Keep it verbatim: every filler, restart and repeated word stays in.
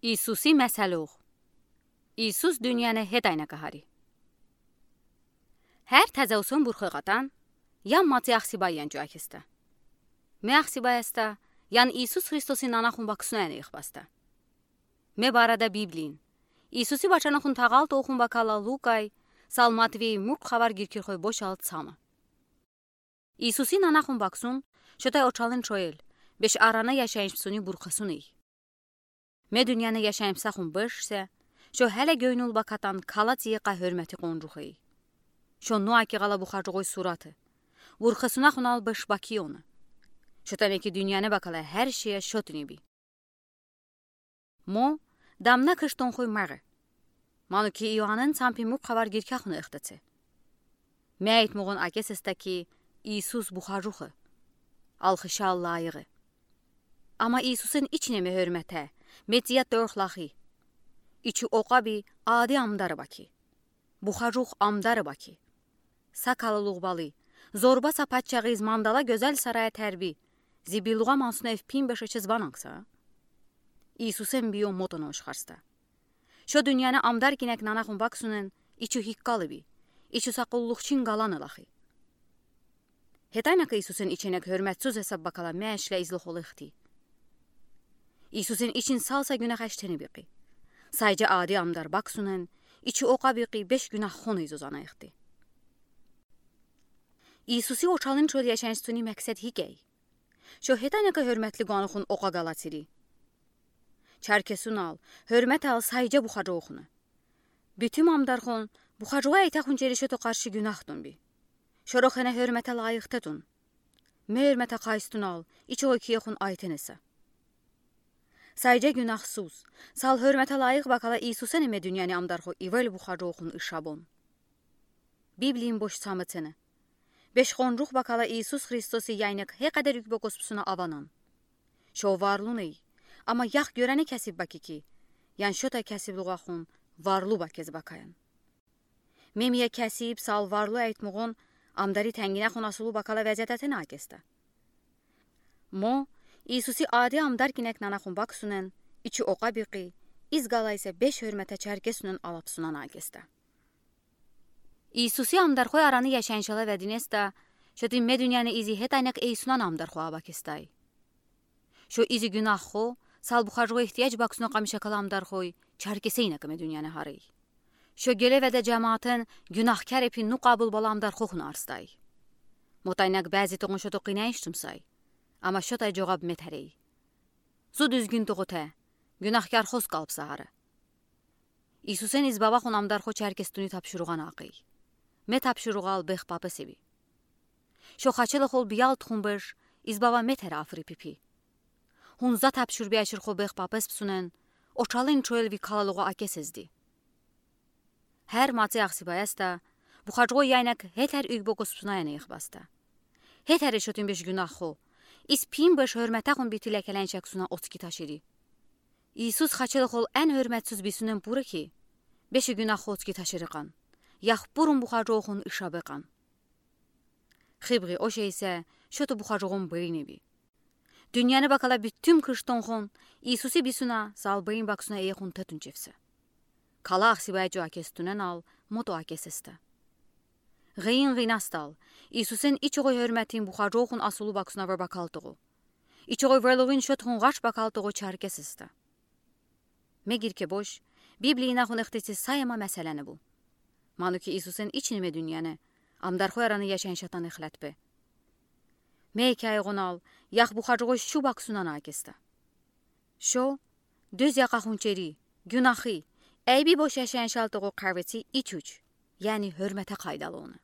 İsusi məsəlux. İsus dünyanı hetəynəkə hari. Hər təzə usın burxoy qatan, yan matı axsibay yan co əkestə. Me axsibay əstə, yan İsus Xristosi nanaxun baksınə ənə ixbastə. Me barədə Bibliyaən. İsusi bəçənoxun təğal toxun bəkələ Lukay, sal Matvey murk xəbər girkirxoy boşalt samı. İsusi nanaxun baksun, şotəy oçalın çoyel, beş aranı yaşayış bısuni burxosun ey. Me dünyanı yaşayış bısaxun beşsə, şo hələ göynül bəkatan kala tiyeqə hörməti qoncuxey. Şo noə ki ğala buxacığoy suratı. Burxosunaxun al beş bəki onı. Şotəy ki dünyanı bəkələ hər şeyə şotın ibi. Mo, damnə kıştonxoy məğe. Manu ki İoanın çampi murk xəbər girkəxunı ixtəçe. Me aytmığon əkesestə ki, İsus buxacıxı. Alxışə layığı. Amma İsusın içinə me hörmətə, me tiyə torxlaxi. İçi oqabi adi amdarı bəki. Buxacux amdarı bəki. Sakalıluq balı, zorba sapatçağız mandala gözəl saraya tərbi, zibiluğa mansın ev pin beşe çez bananqsa. İsusın biyo motonı oşxarstə. Şo dünyanı amdar kinək nanaxun baksunen, içi hiqqalı bi, içi saqulluqçin qalanı laxi. Hetəynəkə İsusın içinək hörmətsuz hesab bəkələ me əşlə izloxolıqti. İsusın için salsa günah əştəni biqi. Saycə adi amdar baksunen, içi oqabi qi beş günah xonı izozanayıqti. İsusi oçalın çoyel yaşayış bısuni məqsəd hikəy. Şo hetəynəkə hörmətli qonoxun oqa qala tiri. Çərkesun al, hörmət al saycə buxacıoxunı. Bütün amdarxon, buxacığa itəxun çeri şoto qarşı günahton bi. Şoroxenə hörmətə layıq tetun. Me hörmətə qaystun al, içi oqi ixun aytenəsə. Saycə günahsuz, sal hörmətə layıq bəkələ İsusenə me dünyanı amdarxo ivel buxacıoxun ışabon. Bibliyaən boş çamıtenə. Beş qoncux bəkələ İsus Xristosi yəynək heqədər ükbokos bısuna avanan. Şo varlunıy, amma yax görəni kəsib bəki ki, yan şotəy kəsibluğaxun varlu bəkəz bəkəyən. Memiyə kəsib sal varlu aytmığon, amdari tənginəxun asılı bəkələ vəziyyətətenə əkestə. Mo, İsusi adi amdar kinək nanaxun baksunen, içi oqabi qi, iz qala isə beş hörmətə çərkesunen alapsunan əkestə. İsusi amdarxoy aranı yaşayışələ vədinestə, şotin me dünyanı izi hetəynək eysunan amdarxoə bəkestəy. Şo izi günahxo, sal buxacığa ehtiyac baksuna qamişəkələ amdarxoy, çərkeseynəkə me dünyanı harıy. Şo gele vədə cəmaatın günahkar epi nu qabul bala amdarxoxun arstəy. Motəynək bəzi toğun şoto qinəyış tumsəy. Amma şotəy coğab me tərəy. Zu düzgün toğutə, günahkarxos qalbsə harı. İsusen iz bavaxun amdarxo çərkestuni tapşuruğan aqıy. Me tapşuruğal bex papes ebi. Şo xaçeloxol biyal tuxun beş, iz bava me tərə afri pipi. Hunza tapşurbi aşırxo bex papes bısunen, oçalın çoyel vi kalalığa əkesezdi. Hər matı axsibayəstə, buxacığa yəynək hetər ügbokos bısuna ənə ixbastə. Hetəri şotin beş günahxo, iz pin beş hörmətəxun biti ləkələn şəxsuna otski taşıri. İsus xaçeloxol ən hörmətsiz bisunen purı ki, beşi günahxo otski taşırıqan. Yax purun buxacıoxun ışabeqan. Xıbği o şey isə, şoto buxacığon beyni bi. Dünyanı bakala bütün kıştonxon, İsusi bisuna, sal beyin baksuna eyəxun tetun çevsə. Kala axsibaya co əkes tunen al, moto əkes estə. Ğıyin ğıynastal, İsusen içoğoy hörmətin buxacıoxun asılı baksuna vır bakaltoğu. İçoğoy vırlığın şotoxun ğaç bakaltoğu çarkes estə. Me girke boş, Bibliya inaxun ixtisi sayma məsələni bu. Manu ki İsusen içinme dünyanı, amdarxoy aranı yaşayın şatan ixlətbe. Me ikəy ğonal, yax buxacıoy şu baksunan əkestə. Şo, döz yaqaxun çeri, günahı, əybi boş yaşayın şaltoğu qaveti iç-uç, yəni hörmətə qaydalı onı.